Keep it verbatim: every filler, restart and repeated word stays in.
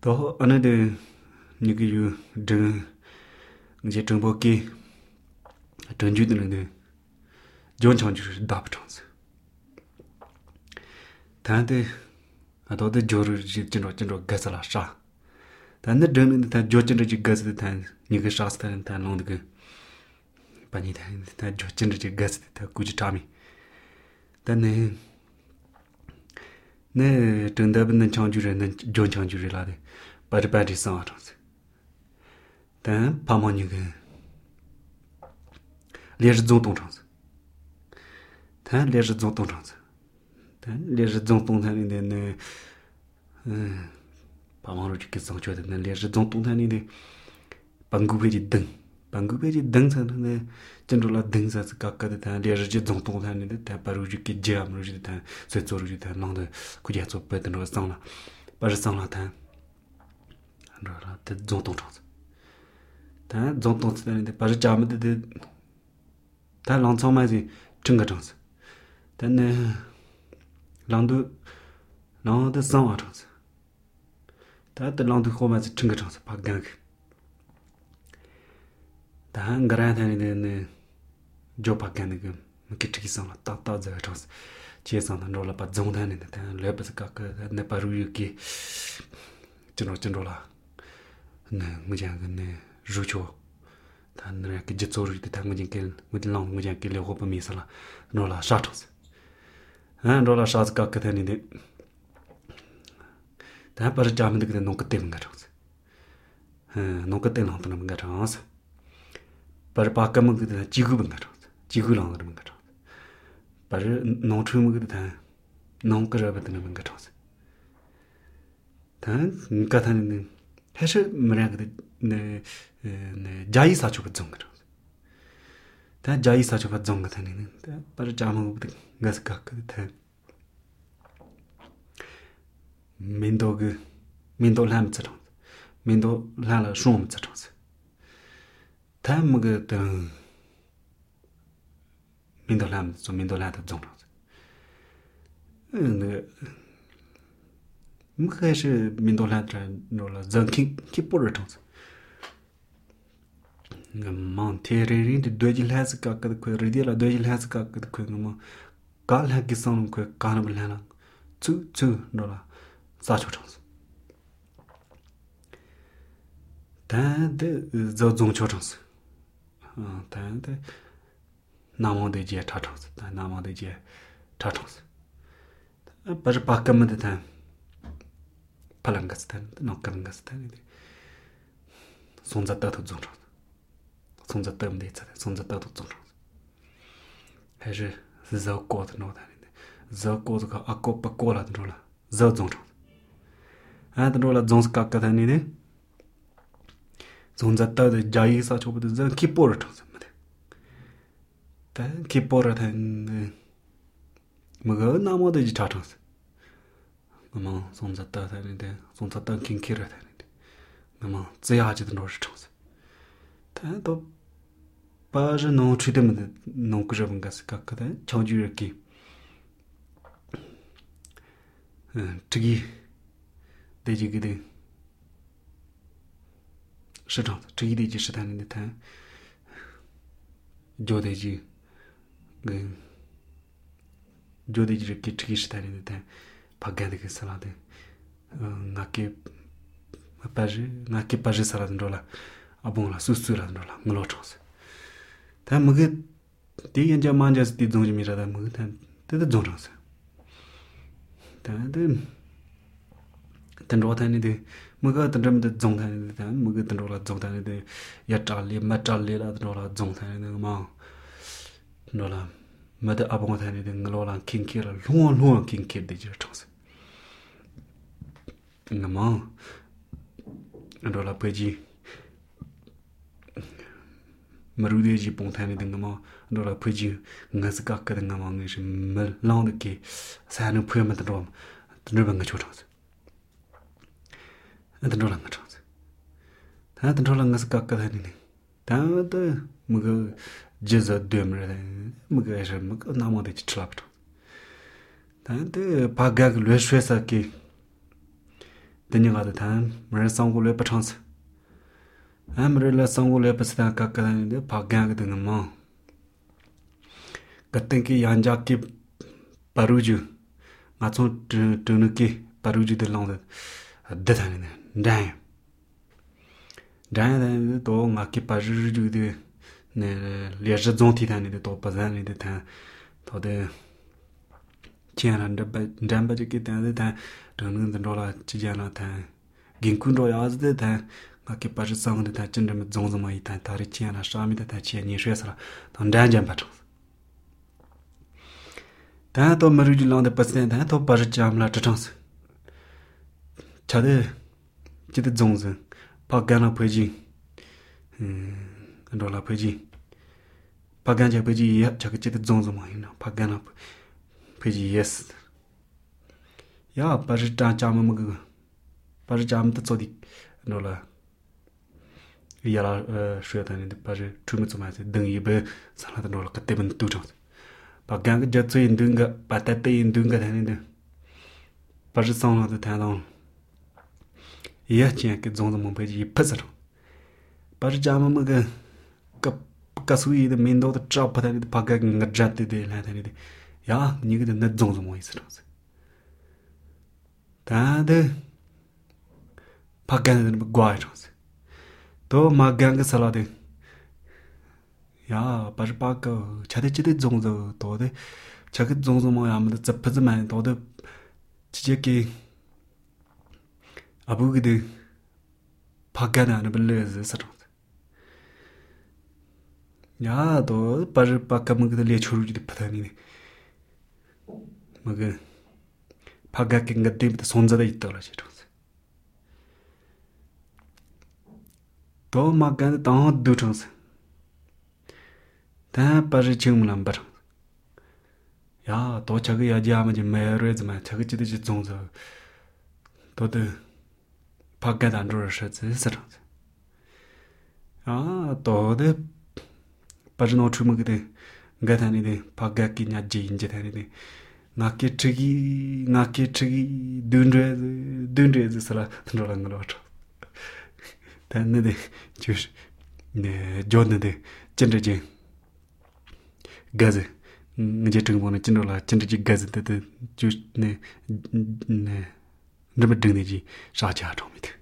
또 어느데 니그 등 이제 정보기 전주들은 좋은 장주를 답장스. 단데 아도데 조르 진로 진로 가살아샤. 단데 드는 다 조진르 지 가스 단 니그 샤스탄 단 롱드 바니 다 조진르 지 가스 다 구지타미. 단네 네 등답은 장주는 좋은 장주라데. 바르바리 상하잖아. 단 파모니그 레즈 종동장스. 단 레즈 종동장스. 단 레즈 종동단인데 음 파모로 지게 상주는 레즈 종동단인데 방구베지 등 방구베지 등산네 전로라 등사스 각가데 단 레즈 종동단인데 다 바로 지게 제암로 다 쇠조로 다 낭데 구제서 배드는 상라 바르 상라 단 안라라 대 종동장스. 다 종동스는데 바로 잠데 다 랑청마지 증가장스. 단네 랑도 랑도 상화장스. 다 랑도 호마지 증가장스 박강. 다 한가라다니네 조박간네 기트기 상라 따따자장스. 제상은 rol라 바 종단인데 다 레버스 각그 네 바루기 저노 저노라 네 무장네 주초 단네 그 제초르 때 당근진 무딜랑 무장 길 호바 미살라 rol라 샤토스 아 rol라 샤스 각그 되는데 다 바르 자면 그 농그 때문에 가져서 아 농그 때는 한번 가져서 바르 바까면 그 지구분 가져서 지구랑 그러면 가져 바르 농트면 그 농그러버드는 가져서 단 가타는 해서 뭐라 그래 네 자이 사초가 좀 그러. 다 자이 사초가 좀 같다는 다 바로 자면 가서 갖고 다 민도그 민도 람처럼 민도 라라 쏨처럼 다 뭐그 민도 람 좀 민도 라다 좀 네 뭐가시 민도 라다 노라 zanking 키포르토스 만 테레린 되질 해서 각그 그 리디라 되질 해서 각그 그뭐 갈하기 선 그 가나블라나 츠츠 노라 사초토스 다데 저종초토스 아 다데 나모데지 타토스 다 나모데지 타토스 바르 바까면 다 팔랑가스탄 노카랑가스탄 손자다도 좀 손자 때문에 있잖아. 손자 때도 좀. 해서 저 거도 노다는데. 저 거도가 아까 바꿔라 들어라. 저 좀. 아 들어라 좀스 깎아다니네. 손자 때도 자이사 저보다 저 키포를 쳤습니다. 다 키포를 된 뭐가 나머지 자쳤어. 뭐 손자 때다는데 손자 때 킹키를 다는데. 뭐 제하지도 노를 쳤어. 다또 바즈 노 트리트먼트 노 그저분 가스 각다 저주르기 특이 대지기데 시장 특이 대지 시장인데 다 조대지 그 조대지 이렇게 특이 시장인데 다 바가데 그 살아데 나케 바즈 나케 바즈 살아든 돌아 아봉라 수수라든라 물어줘서 다 뭐게 뒤엔자 만자스 뒤종지미라다 뭐다 때도 종라서 다들 단로다니데 뭐가 단점도 종다니데 다 뭐가 단로라 종다니데 야탈리 마탈리라든라 종다니데 뭐 노라 마다 아봉다니데 노라 킹키라 롱 롱 킹키데 저서 나마 노라 페지 마루데지 봉타니 등가마 노라 푸지 nga스 각가 등가마 ng시 멜 라운드기 사는 푸야마도 좀 드르방가 줘서 드르랑가 줘서 다 드르랑 nga스 각가 다니네 다도 뭐가 제자 되므라 뭐가 해서 뭐가 나머지 치랍도 다도 바각 뢰쇠사기 Denyagada tan, Marisangule Patans. Amrilla Sangule Pasta Kakan, the Pagang the Nama. Katenki Yanjaki Paruju. Matson Tunuki, Paruju de London. A detan. Dang. Dang the dog, Maki Paruju de Liajon Titan, the top Pazani the tan. To the Chian and the Dambajiki and the tan. The dollar Chijana tan. Ginkundo as the tan. Aki Paji song the Tachin Zonzama tan Tarichiana, Shami the Tachi and Yeshra, on Danjan Patrons. Tato Marujulan the President, Tato Pajam La Tatons. Chade Chit Zonza, Pagana Peji, and Dola Peji. Paganja Peji, Chakachit Zonzama, Pagana Peji, yes. Ya Pajita Jamamuga Pajam the Zodi, Nola. Yala Shretan in the Paja, Trumitsumas, Dungibe, Saladanola, Kataban Tutons. Paganga Jatsu in Dunga, Patate in Dunga and in the Paja song of the town. Yachank is on the Mompaji Pesaro. Pajamamuga Kasui, the Mindo, the chop, and the Paganga Jatti de Latin. Ya, you get the net zones of moisters. Tade Pagan and Guayos. To Maganga Salade. Ya, Pajpaka, Chadichid Zonzo, Tode, Chakit Zonzo Moyam, the Zapazman, Tode Chicheki Abugide Pagana and Belez. Ya, to Pajpaka Mug the Lechuru the Patani. Maga Pagaking a dim the Sonza de Itology. To Magan don't do tons. Ta Pajachum number. Ya, to Chagi Ajamaj marriage my Chagachit Zonzo. To the Pagad under a shirt. Ah, to the Pajano Trumugde, Gatani de Pagaki Naji in Jetani. Naki Triggy, Naki Triggy, Dundre, Dundre is a lot. Then the Jewish Jordan the Chendaji Gaze, Jetting one a general Chendaji Gazette, the Jewish Never Dingy, Shaja Tomit.